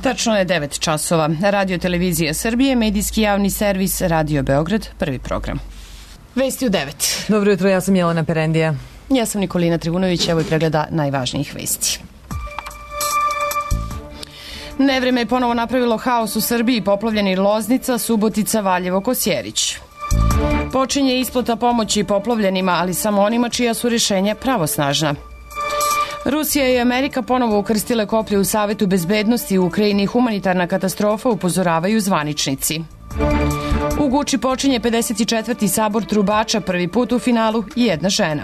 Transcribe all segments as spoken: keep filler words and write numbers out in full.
Tačno je devet časova. Radio Televizija Srbije, medijski javni servis Radio Beograd, prvi program. Vesti u devet. Dobro jutro, ja sam Jelena Perendija. Ja sam Nikolina Trivunović, evo i pregleda najvažnijih vesti. Nevreme je ponovo napravilo haos u Srbiji, poplavljeni Loznica, Subotica, Valjevo, Kosjerić. Počinje isplata pomoći poplavljenima, ali samo onima čija su rješenja pravosnažna. Rusija i Amerika ponovo ukrstile koplje u Savetu bezbednosti u Ukrajini. Humanitarna katastrofa, upozoravaju zvaničnici. U Guči počinje pedeset četvrti sabor trubača, prvi put u finalu i jedna žena.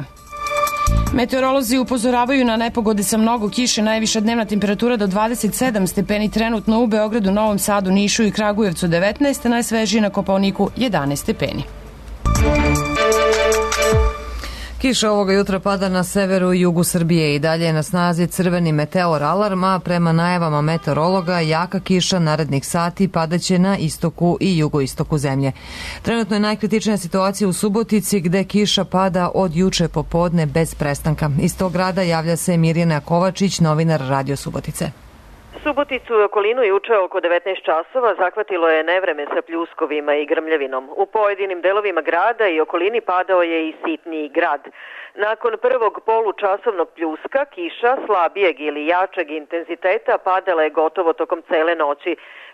Meteorolozi upozoravaju na nepogode sa mnogo kiše, najviša dnevna temperatura do dvadeset sedam stepeni trenutno u Beogradu, Novom Sadu, Nišu i Kragujevcu devetnaest, najsvežiji na Kopaoniku jedanaest stepeni. Kiša ovoga jutra pada na severu i jugu Srbije i dalje je na snazi crveni meteor alarm, a prema najavama meteorologa jaka kiša narednih sati padaće na istoku i jugoistoku zemlje. Trenutno je najkritičnija situacija u Subotici gde kiša pada od juče popodne bez prestanka. Iz tog grada javlja se Mirjana Kovačić, novinar Radio Subotice. Suboticu i okolinu juče oko devetnaest časova zahvatilo je nevreme sa pljuskovima i grmljavinom. U pojedinim delovima grada i okolini padao je i sitniji grad. Nakon prvog polučasovnog pljuska, kiša slabijeg ili jačeg intenziteta padala je gotovo tokom cele noći.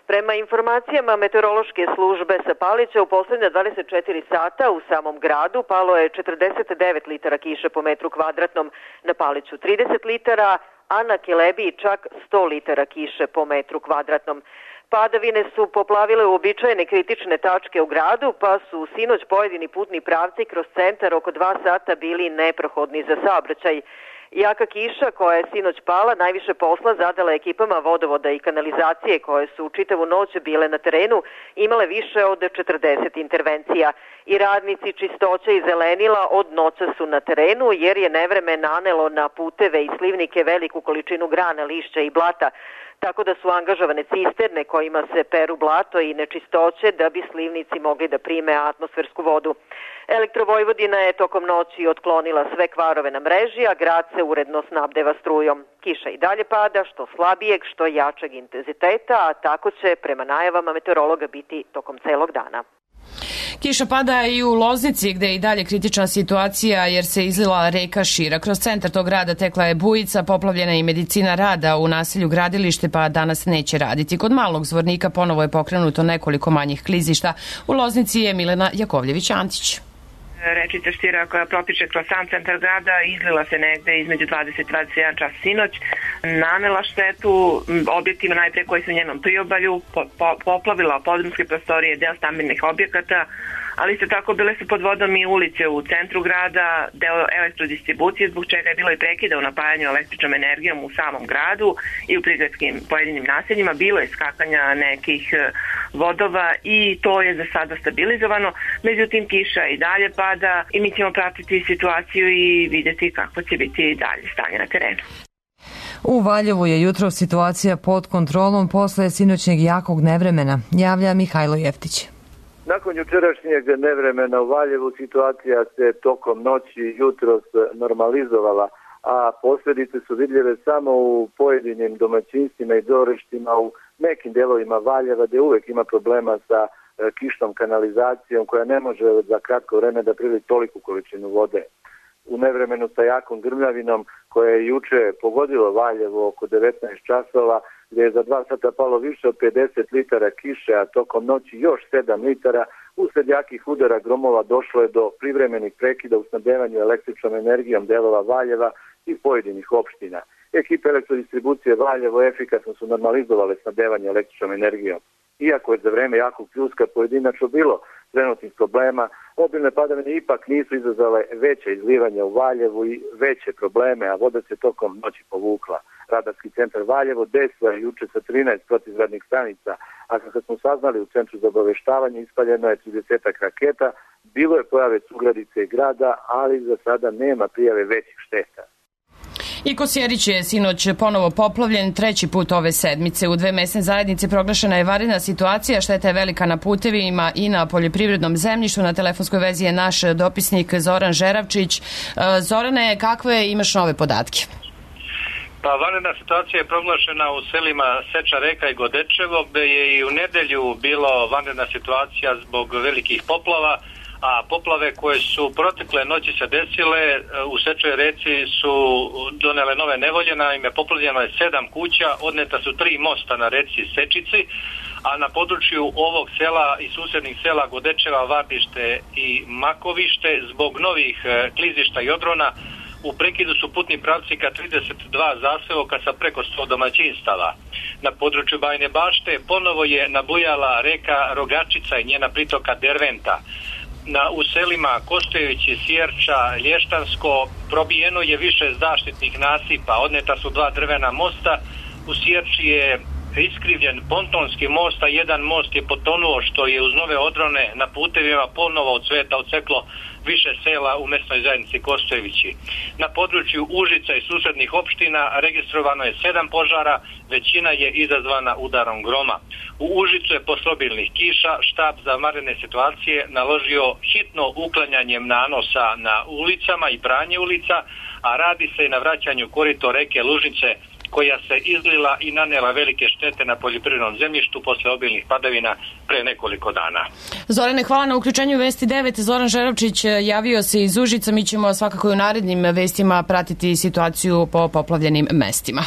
Prema informacijama meteorološke službe sa Palića, u poslednja dvadeset četiri sata u samom gradu palo je četrdeset devet litara kiše po metru kvadratnom, na Paliću trideset litara, a na Kelebiji čak sto litara kiše po metru kvadratnom. Padavine su poplavile uobičajene kritične tačke u gradu, pa su sinoć pojedini putni pravci kroz centar oko dva sata bili neprohodni za saobraćaj. Jaka kiša koja je sinoć pala najviše posla zadala ekipama vodovoda i kanalizacije koje su čitavu noć bile na terenu, imale više od četrdeset intervencija. I radnici čistoće i zelenila od noća su na terenu jer je nevreme nanelo na puteve i slivnike veliku količinu grana, lišća i blata, tako da su angažovane cisterne kojima se peru blato i nečistoće da bi slivnici mogli da prime atmosfersku vodu. Elektrovojvodina je tokom noći otklonila sve kvarove na mreži, a grad se uredno snabdeva strujom. Kiša i dalje pada, što slabijeg, što jačeg intenziteta, a tako će prema najavama meteorologa biti tokom celog dana. Kiša pada i u Loznici, gde je i dalje kritična situacija jer se izlila reka Šira. Kroz centar tog grada tekla je bujica, poplavljena i medicina rada u naselju Gradilište, pa danas neće raditi. Kod Malog Zvornika ponovo je pokrenuto nekoliko manjih klizišta. U Loznici je Milena Jakovljević-Antić. Rečica Štira koja protiče kroz sam centar grada izlila se negde između dvadeset i dvadeset jedan čas sinoć, nanela štetu objektima najpre koji su u njenom priobalju, po, po, poplavila podrumske prostorije, deo stambenih objekata, ali isto tako bile su pod vodom i ulice u centru grada, deo elektrodistribucije, zbog čega je bilo i prekida u napajanju električnom energijom u samom gradu i u prigradskim pojedinim naseljima. Bilo je skakanja nekih vodova i to je za sada stabilizovano, međutim kiša i dalje pada i mi ćemo pratiti situaciju i vidjeti kako će biti dalje stanje na terenu. U Valjevu je jutro situacija pod kontrolom posle sinoćnjeg jakog nevremena, javlja Mihajlo Jeftić. Nakon jučerašnjeg nevremena u Valjevu situacija se tokom noći jutros normalizovala, a posljedice su vidljive samo u pojedinim domaćinstvima i dvorištima u nekim delovima Valjeva gdje uvek ima problema sa kišnom kanalizacijom koja ne može za kratko vreme da prilivi toliku količinu vode. U nevremenu sa jakom grmljavinom koja je juče pogodilo Valjevo oko devetnaest časova, gdje je za dva sata palo više od pedeset litara kiše, a tokom noći još sedam litara, usled jakih udara gromova došlo je do privremenih prekida u snabdevanju električnom energijom delova Valjeva i pojedinih opština. Ekipe elektrodistribucije Valjevo efikasno su normalizovale snabdevanje električnom energijom. Iako je za vreme jakog pljuska pojedinačno bilo trenutnih problema, obilne padavine ipak nisu izazvale veće izlivanja u Valjevu i veće probleme, a voda se tokom noći povukla. Radarski centar Valjevo desilo je juče sa trinaest protivgradnih stanica, a kako smo saznali u centru za obaveštavanje ispaljeno je trideset raketa, bilo je pojave sugradice grada, ali za sada nema prijave većih šteta. I Kosjerić je sinoć ponovo poplavljen treći put ove sedmice. U dve mesne zajednice proglašena je vanredna situacija, šteta je velika na putevima i na poljoprivrednom zemljištu. Na telefonskoj vezi je naš dopisnik Zoran Žeravčić. Zorane, kakve imaš nove podatke? Pa vanredna situacija je proglašena u selima Seča Reka i Godečevo, gde je i u nedelju bilo vanredna situacija zbog velikih poplava, a poplave koje su protekle noći se desile u Sečoj Reci su donele nove nevolje. Naime, poplavljeno je sedam kuća, odneta su tri mosta na reci Sečici, a na području ovog sela i susednih sela Godečeva, Vardište i Makovište zbog novih klizišta i odrona u prekidu su putni pravci ka trideset dva zaseoka sa preko sto domaćinstava. Na području Bajine Bašte ponovo je nabujala reka Rogačica i njena pritoka Derventa. Na, u selima Kostojevići, Sjerča, Lještansko probijeno je više zaštitnih nasipa, odneta su dva drvena mosta, u Sjerči je iskrivljen pontonski most, a jedan most je potonuo što je uz nove odrone na putevima ponovo od sveta odseklo više sela u mesnoj zajednici Kostojevići. Na području Užica i susednih opština registrovano je sedam požara, većina je izazvana udarom groma. U Užicu je posle obilnih kiša štab za vanredne situacije naložio hitno uklanjanjem nanosa na ulicama i pranje ulica, a radi se i na vraćanju korito reke Lužnice koja se izlila i nanela velike štete na poljoprivrednom zemljištu posle obilnih padavina pre nekoliko dana. Zorane, hvala na uključenju Vesti devet. Zoran Žerovčić javio se iz Užica. Mi ćemo svakako i u narednim vestima pratiti situaciju po poplavljenim mestima.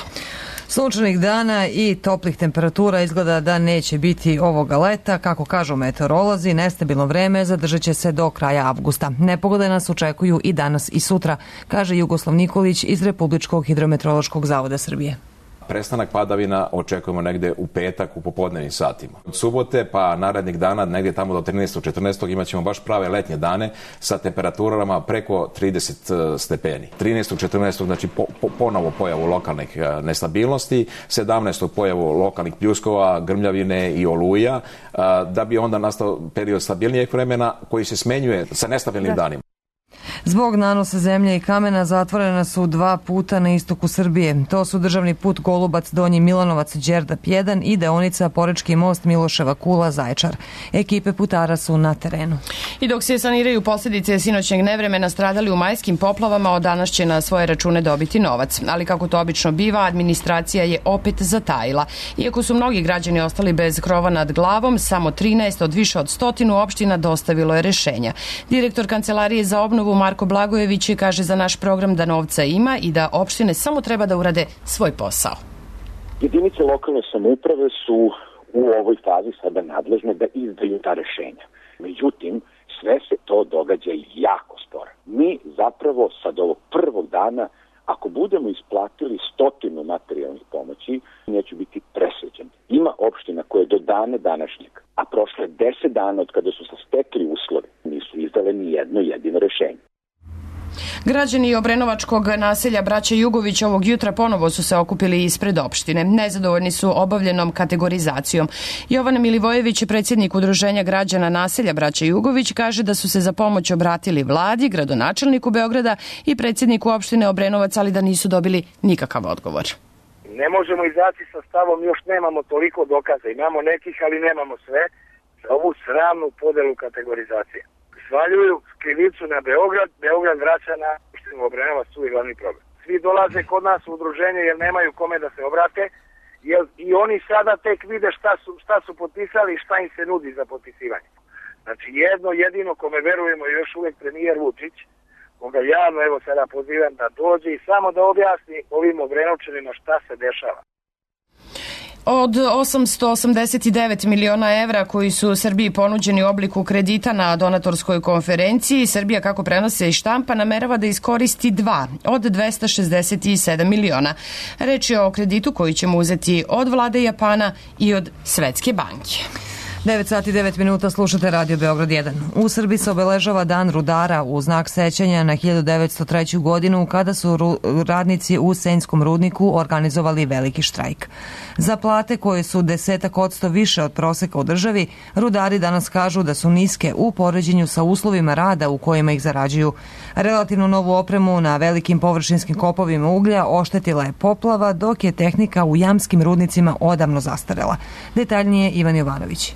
Sunčanih dana i toplih temperatura izgleda da neće biti ovoga leta. Kako kažu meteorolozi, nestabilno vreme zadržat će se do kraja avgusta. Nepogode nas očekuju i danas i sutra, kaže Jugoslav Nikolić iz Republičkog hidrometeorološkog zavoda Srbije. Prestanak padavina očekujemo negde u petak u popodnevnim satima. Od subote pa narednih dana, negde tamo do trinaestog četrnaestog imat ćemo baš prave letnje dane sa temperaturama preko trideset stepeni. trinaestog četrnaestog znači po, po, ponovo pojavu lokalnih nestabilnosti, sedamnaestog pojavu lokalnih pljuskova, grmljavine i oluja, da bi onda nastao period stabilnijeg vremena koji se smenjuje sa nestabilnim da. danima. Zbog nanosa zemlje i kamena zatvorena su dva puta na istoku Srbije. To su državni put Golubac Donji Milanovac Đerdap jedan i deonica Porečki most Miloševa Kula Zaječar. Ekipe putara su na terenu. I dok se saniraju posljedice sinoćnjeg nevremena stradali u majskim poplavama, od danas će na svoje račune dobiti novac. Ali kako to obično biva, administracija je opet zatajila. Iako su mnogi građani ostali bez krova nad glavom, samo trinaest od više od stotinu opština dostavilo je rešenja. Direktor Kancelarije za obnovu Marko Blagojević kaže za naš program da novca ima i da opštine samo treba da urade svoj posao. Jedinice lokalne samouprave su u ovoj fazi sada nadležne da izdaju ta rešenja. Međutim, sve se to događa jako sporo. Mi zapravo sad ovog prvog dana, ako budemo isplatili stotinu materijalnih pomoći, neću biti presrećen. Ima opština koje do dane današnjeg, a prošle deset dana od kada su se stekli uslovi, nisu izdale ni jedno jedino rešenje. Građani obrenovačkog naselja Braća Jugović ovog jutra ponovo su se okupili ispred opštine. Nezadovoljni su obavljenom kategorizacijom. Jovan Milivojević, predsjednik Udruženja građana naselja Braća Jugović, kaže da su se za pomoć obratili vladi, gradonačelniku Beograda i predsjedniku opštine Obrenovac, ali da nisu dobili nikakav odgovor. Ne možemo izaći sa stavom, još nemamo toliko dokaza. Imamo nekih, ali nemamo sve, za ovu sramnu podelu kategorizacije. Svaljuju krivicu na Beograd, Beograd vraća na opštinu Obrenovac, tu je glavni problem. Svi dolaze kod nas u udruženje jer nemaju kome da se obrate, jer i oni sada tek vide šta su, šta su potpisali i šta im se nudi za potpisivanje. Znači jedno jedino kome verujemo je još uvijek premijer Vučić, koga javno evo sada pozivam da dođe i samo da objasni ovim Obrenovčanima šta se dešava. Od osamsto osamdeset devet miliona evra koji su Srbiji ponuđeni u obliku kredita na donatorskoj konferenciji, Srbija, kako prenose i štampa, namerava da iskoristi dva od dvesta šezdeset sedam miliona. Reč je o kreditu koji ćemo uzeti od vlade Japana i od Svetske banke. devet sati i devet minuta, slušate Radio Beograd jedan. U Srbiji se obeležava Dan rudara u znak sećanja na hiljadu devetsto treću. godinu kada su radnici u Senjskom rudniku organizovali veliki štrajk. Za plate koje su desetak odsto više od proseka u državi, rudari danas kažu da su niske u poređenju sa uslovima rada u kojima ih zarađuju. Relativno novu opremu na velikim površinskim kopovima uglja oštetila je poplava, dok je tehnika u jamskim rudnicima odavno zastarela. Detaljnije Ivan Jovanović.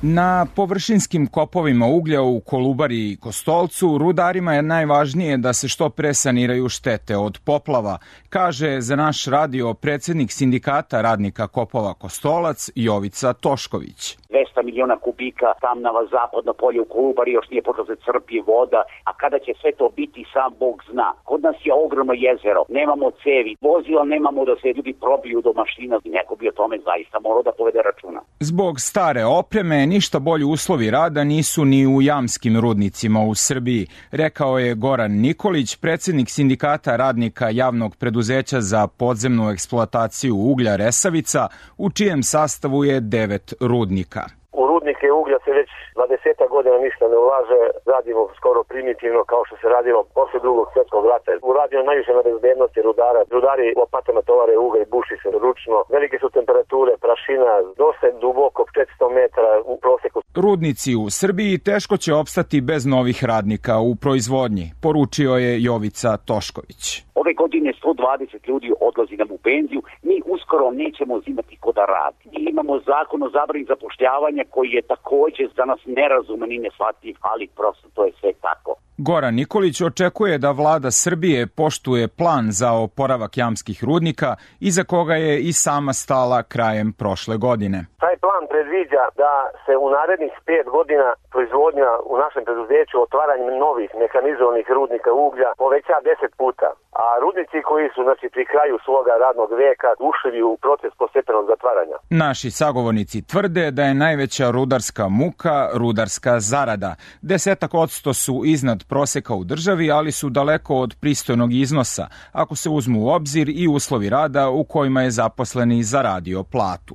Na površinskim kopovima uglja u Kolubari i Kostolcu rudarima je najvažnije da se što pre saniraju štete od poplava, kaže za naš radio predsjednik sindikata radnika kopova Kostolac Jovica Tošković. dvesta miliona kubika tamnava zapadno polje u Kolubari još nije počelo se crpi voda, a kada će sve to biti sam Bog zna. Kod nas je ogromno jezero, nemamo cevi, vozila nemamo da se ljudi probiju do mašina, neko bi o tome zaista morao da povede računa. Zbog stare opreme ništa bolji uslovi rada nisu ni u jamskim rudnicima u Srbiji, rekao je Goran Nikolić, predsjednik sindikata radnika javnog preduzeća za podzemnu eksploataciju uglja Resavica, u čijem sastavu je devet rudnika. U rudnike uglja se već dvadeset godina ništa ne ulaže, radimo skoro primitivno kao što se radilo posle drugog svjetskog rata. Uradio najviše na bezbednosti rudara. Rudari lopatama tovare ugalj, buši se ručno. Velike su temperature, prašina, dosta duboko, četiristo metara u proseku. Rudnici u Srbiji teško će opstati bez novih radnika u proizvodnji, poručio je Jovica Tošković. Ove godine sto dvadeset ljudi odlazi nam u penziju, mi uskoro nećemo imati ko da radi. Mi imamo zakon o zabrani zapošljavanja koji je takođe za nas nerazuman i neshvatljiv, ali prosto to je sve tako. Goran Nikolić očekuje da vlada Srbije poštuje plan za oporavak jamskih rudnika, iza koga je i sama stala krajem prošle godine. Taj plan predviđa da se u narednih pet godina proizvodnja u našem preduzeću otvaranjem novih mehanizovanih rudnika uglja poveća deset puta. A rudnici koji su znači, pri kraju svoga radnog veka ušli u proces postepenog zatvaranja. Naši sagovornici tvrde da je najveća rudarska muka rudarska zarada. Desetak odsto su iznad proseka u državi, ali su daleko od pristojnog iznosa, ako se uzmu u obzir i uslovi rada u kojima je zaposleni zaradio platu.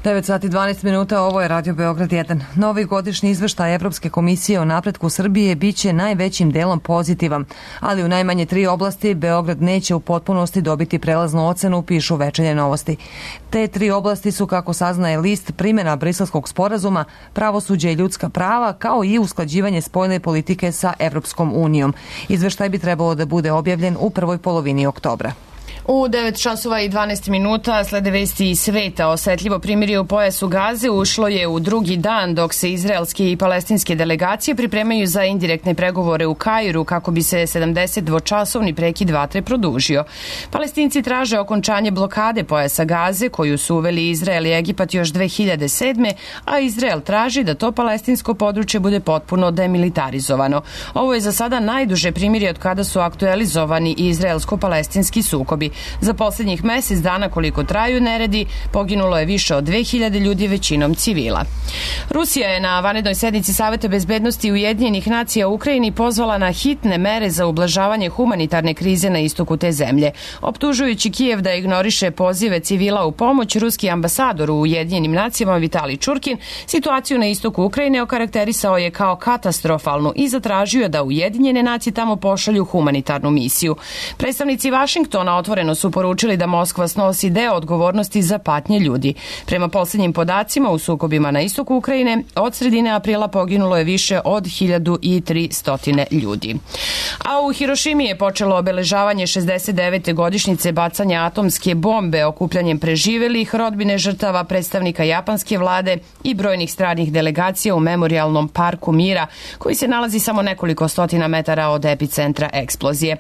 devet sati i dvanaest minuta, ovo je Radio Beograd jedan. Novi godišnji izveštaj Evropske komisije o napretku Srbije biće najvećim delom pozitivan, ali u najmanje tri oblasti Beograd neće u potpunosti dobiti prelaznu ocenu, pišu Večernje novosti. Te tri oblasti su, kako saznaje list, primjena Briselskog sporazuma, pravosuđe i ljudska prava, kao i usklađivanje spoljne politike sa Evropskom unijom. Izveštaj bi trebalo da bude objavljen u prvoj polovini oktobra. U devet časova i dvanaest minuta slede vesti iz sveta. Osetljivo primirje u pojasu Gaze ušlo je u drugi dan dok se izraelske i palestinske delegacije pripremaju za indirektne pregovore u Kairu kako bi se sedamdesetdvočasovni prekid vatre produžio. Palestinci traže okončanje blokade pojasa Gaze koju su uveli Izrael i Egipat još dve hiljade sedme, a Izrael traži da to palestinsko područje bude potpuno demilitarizovano. Ovo je za sada najduže primirje od kada su aktualizovani izraelsko-palestinski sukobi. Za posljednjih mesec dana koliko traju neredi, poginulo je više od dve hiljade ljudi, većinom civila. Rusija je na vanrednoj sednici Saveta bezbednosti Ujedinjenih nacija u Ukrajini pozvala na hitne mere za ublažavanje humanitarne krize na istoku te zemlje. Optužujući Kijev da ignoriše pozive civila u pomoć, ruski ambasador u Ujedinjenim nacijama Vitalij Čurkin situaciju na istoku Ukrajine okarakterisao je kao katastrofalnu i zatražio da Ujedinjene nacije tamo pošalju humanitarnu misiju. Predstavnici Vašingtona otvoreno su poručili da Moskva snosi deo odgovornosti za patnje ljudi. Prema posljednjim podacima, u sukobima na istoku Ukrajine od sredine aprila poginulo je više od hiljadu tristo ljudi. A u Hirošimi je počelo obeležavanje šezdeset devete godišnjice bacanja atomske bombe okupljanjem preživelih, rodbine žrtava, predstavnika japanske vlade i brojnih stranih delegacija u Memorijalnom parku mira, koji se nalazi samo nekoliko stotina metara od epicentra eksplozije.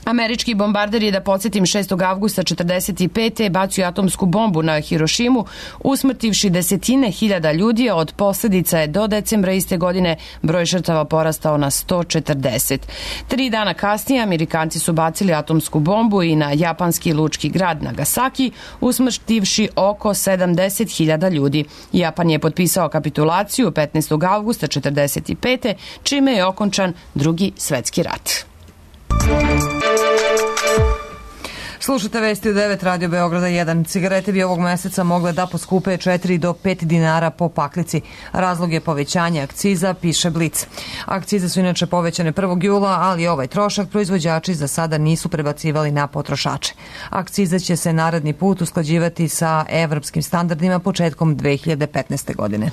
Američki bombarder je, da podsjetim, šestog avgusta četrdeset pete bacio atomsku bombu na Hirošimu, usmrtivši desetine hiljada ljudi, a od posljedica je do decembra iste godine broj žrtava porastao na sto četrdeset. Tri dana kasnije Amerikanci su bacili atomsku bombu i na japanski lučki grad Nagasaki, usmrtivši oko sedamdeset hiljada ljudi. Japan je potpisao kapitulaciju petnaestog avgusta četrdeset pete, čime je okončan Drugi svetski rat. Slušajte vesti u devet Radio Beograda jedan. Cigarete bi ovog meseca mogle da poskupe četiri do pet dinara po paklici. Razlog je povećanje akciza, piše Blic. Akcize su inače povećane prvog jula, ali ovaj trošak proizvođači za sada nisu prebacivali na potrošače. Akciza će se naredni put usklađivati sa evropskim standardima početkom dve hiljade petnaeste. godine.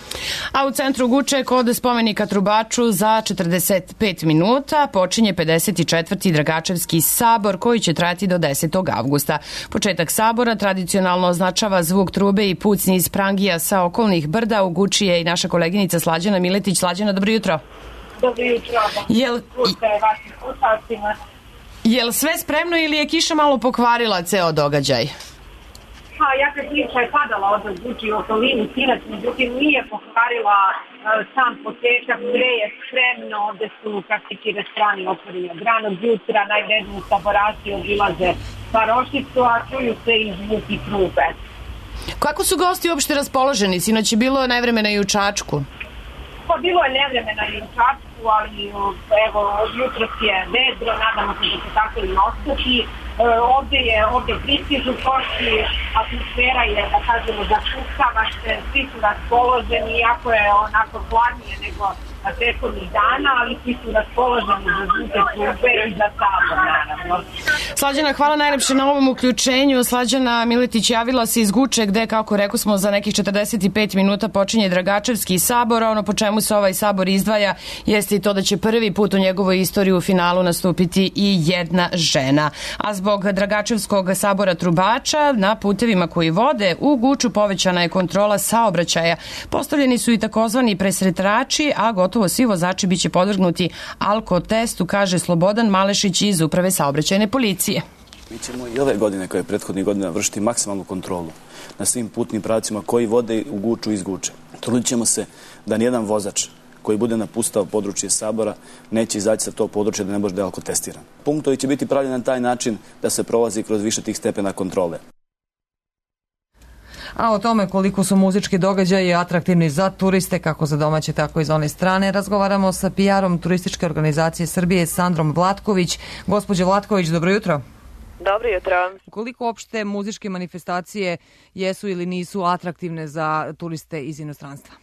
A u centru Guče kod spomenika Trubaču za četrdeset pet minuta počinje pedeset četvrti Dragačevski sabor koji će trajati do desetog avgusta. Početak sabora tradicionalno označava zvuk trube i pucnji iz prangija sa okolnih brda. U Guči je i naša koleginica Slađana Miletić. Slađana, dobro jutro. Dobro jutro. Jel, jel sve spremno ili je kiša malo pokvarila ceo događaj? Pa, jaka kiša je padala od Guči u okolini sinac, međutim nije pokvarila uh, sam početak, sve je spremno, gde su praktički restorani otvoreni od ranog jutra, najvredniji saboraci obilaze Parošicu, a čuju se i zvuki trube. Kako su gosti uopšte raspoloženi? Sinoć je bilo nevremena i u Čačku. Pa bilo je nevremena i u Čačku, ali evo, jutros je vedro, nadamo se da će tako i ostati. E, ovde je, ovde pristižu gosti, atmosfera je, da kažemo, zakucava se, svi su raspoloženi, iako je onako hladnije nego prethodnih dana, ali svi su raspoloženi za zvuke trube i za sabor, naravno. Slađana, hvala najlepše na ovom uključenju. Slađana Miletić javila se iz Guče, gde, kako rekao smo, za nekih četrdeset pet minuta počinje Dragačevski sabor, a ono po čemu se ovaj sabor izdvaja jeste i to da će prvi put u njegovoj istoriji u finalu nastupiti i jedna žena. A zbog Dragačevskog sabora trubača na putevima koji vode u Guču povećana je kontrola saobraćaja. Postavljeni su i takozvani presretrači, a gotovo svi vozači biće podvrgnuti alkotestu, kaže Slobodan Malešić iz Uprave saobraćajne policije. Mi ćemo i ove godine, kao je prethodnih godina, vršiti maksimalnu kontrolu na svim putnim pravcima koji vode u Guču i iz Guče. Trudit ćemo se da nijedan vozač koji bude napustao područje sabora neće izaći sa tog područja da ne može da je alkotestiran. Punktovi će biti pravljeni na taj način da se prolazi kroz više tih stepena kontrole. A o tome koliko su muzički događaji atraktivni za turiste, kako za domaće, tako i za one strane, razgovaramo sa P R-om Turističke organizacije Srbije, Sandrom Vlatković. Gospođo Vlatković, dobro jutro. Dobro jutro. Koliko opšte muzičke manifestacije jesu ili nisu atraktivne za turiste iz inostranstva?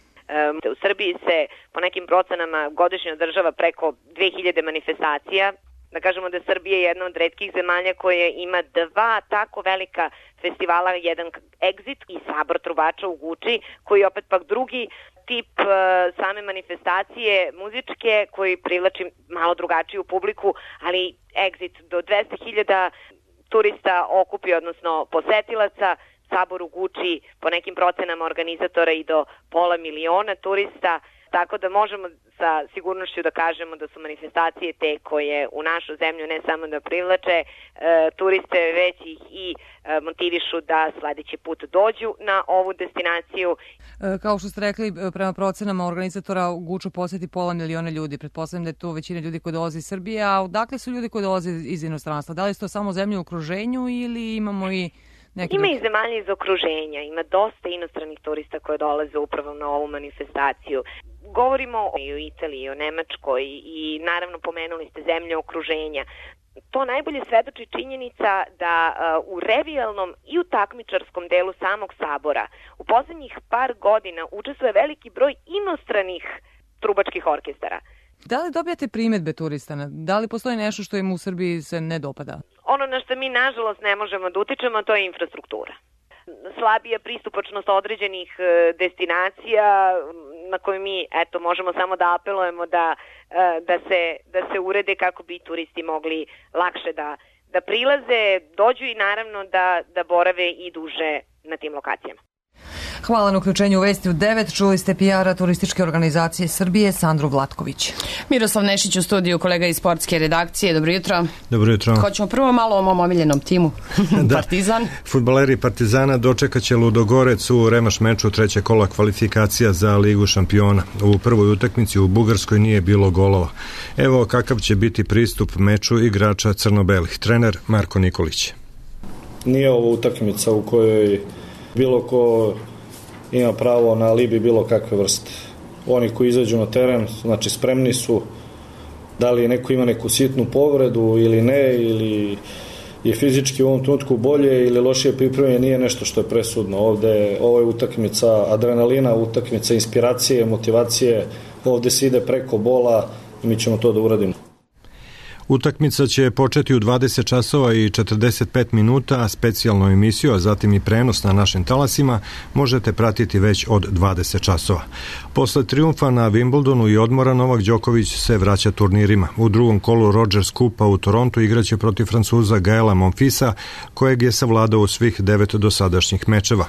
U Srbiji se po nekim procenama godišnje održava preko dve hiljade manifestacija. Da kažemo da Srbija je jedna od retkih zemalja koja ima dva tako velika festivala, jedan Exit i Sabor trubača u Guči, koji je opet pak drugi tip uh, same manifestacije muzičke koji privlači malo drugačiju publiku, ali Exit do dvesta hiljada turista okupi, odnosno posetilaca, Sabor u Guči po nekim procenama organizatora i do pola miliona turista. Tako da možemo sa sigurnošću da kažemo da su manifestacije te koje u našu zemlju ne samo da privlače e, turiste, već ih i e, motivišu da sledeći put dođu na ovu destinaciju. E, kao što ste rekli, prema procenama organizatora u Guču poseti pola miliona ljudi. Pretpostavljam da je to većina ljudi koji dolaze iz Srbije, a odakle su ljudi koji dolaze iz inostranstva? Da li su to samo zemlje u okruženju ili imamo i neki Ima drugi? i zemalja iz okruženja, ima dosta inostranih turista koji dolaze upravo na ovu manifestaciju. Govorimo i o Italiji, o Nemačkoj i naravno pomenuli ste zemlje okruženja. To najbolje svedoči činjenica da uh, u revijalnom i u takmičarskom delu samog sabora u poslednjih par godina učestvuje veliki broj inostranih trubačkih orkestara. Da li dobijate primedbe turista? Da li postoji nešto što im u Srbiji se ne dopada? Ono na što mi nažalost ne možemo da utičemo, to je infrastruktura. Slabija pristupačnost određenih destinacija na koje mi eto možemo samo da apelujemo da, da, se, da se urede kako bi turisti mogli lakše da, da prilaze, dođu i naravno da, da borave i duže na tim lokacijama. Hvala na uključenju u Vesti u devet. Čuli ste P R-a Turističke organizacije Srbije, Sandru Vlatković. Miroslav Nešić u studiju, kolega iz sportske redakcije. Dobro jutro. Dobro jutro. Hoćemo prvo malo o mom omiljenom timu. Da. Partizan. Fudbaleri Partizana dočekaće Ludogorec u remaš meču treće kola kvalifikacija za Ligu šampiona. U prvoj utakmici u Bugarskoj nije bilo golova. Evo kakav će biti pristup meču igrača crno-belih. Trener Marko Nikolić. Nije ovo utakmica u kojoj bilo ko ima pravo na alibi bilo kakve vrste. Oni koji izađu na teren, znači spremni su, da li neko ima neku sitnu povredu ili ne, ili je fizički u ovom trenutku bolje ili lošije pripremljen, nije nešto što je presudno. Ovde, ovo je utakmica adrenalina, utakmica inspiracije, motivacije, ovde se ide preko bola i mi ćemo to da uradimo. Utakmica će početi u dvadeset časova i četrdeset pet minuta, a specijalnu emisiju, a zatim i prenos na našim talasima možete pratiti već od dvadeset časova. Posle trijumfa na Wimbledonu i odmora Novak Đoković se vraća turnirima. U drugom kolu Rogers Kupa u Torontu igraće protiv Francuza Gaela Monfilsa, kojeg je savladao u svih devet dosadašnjih mečeva.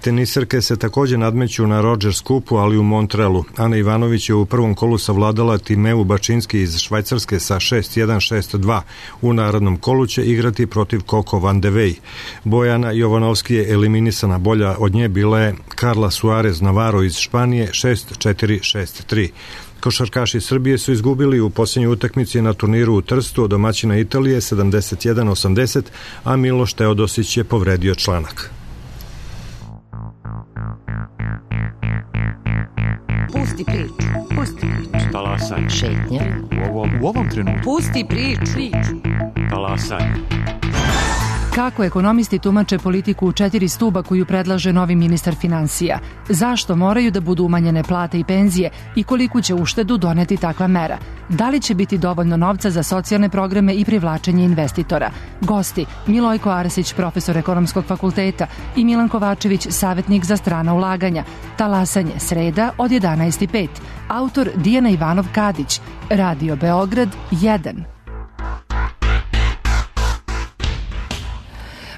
Teniserke se takođe nadmeću na Rogers Kupu, ali u Montrealu. Ana Ivanović je u prvom kolu savladala Timeu Bačinski iz Švajcarske sa šest jedan šest dva. U narodnom kolu će igrati protiv Coco Van de Wey. Bojana Jovanovski je eliminisana, bolja od nje bila je Carla Suarez Navarro iz Španije šest četiri šest tri. Košarkaši Srbije su izgubili u posljednjoj utakmici na turniru u Trstu od domaćina Italije sedamdeset jedan osamdeset, a Miloš Teodosić je povredio članak. Pusti priču, pusti priču. Talasaj. Šetnja. U ovom, u ovom trenutku. Pusti priču. priču. Talasaj. Kako ekonomisti tumače politiku u četiri stuba koju predlaže novi ministar finansija? Zašto moraju da budu umanjene plate i penzije i koliku će uštedu doneti takva mera? Da li će biti dovoljno novca za socijalne programe i privlačenje investitora? Gosti Milojko Arsić, profesor Ekonomskog fakulteta, i Milan Kovačević, savjetnik za strana ulaganja. Talasanje, sreda od jedanaest i pet. Autor Dijana Ivanov-Kadić. Radio Beograd jedan.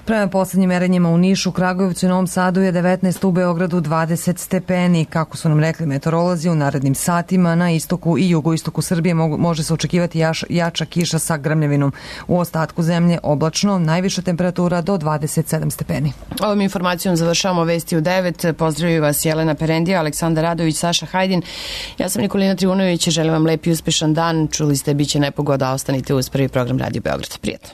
Prema poslednjim merenjima u Nišu, Kragujevcu i Novom Sadu je devetnaest, u Beogradu dvadeset stepeni. Kako su nam rekli meteorolozi, u narednim satima na istoku i jugoistoku Srbije može se očekivati jaš, jača kiša sa grmljavinom. U ostatku zemlje oblačno, najviša temperatura do dvadeset sedam stepeni. Ovom informacijom završavamo vesti u devet. Pozdravljaju vas Jelena Perendija, Aleksandar Radović, Saša Hajdin. Ja sam Nikolina Trivunović i želim vam lep i uspešan dan. Čuli ste, biće nepogoda, ostanite uz prvi program Radio Beograd. Prijatno.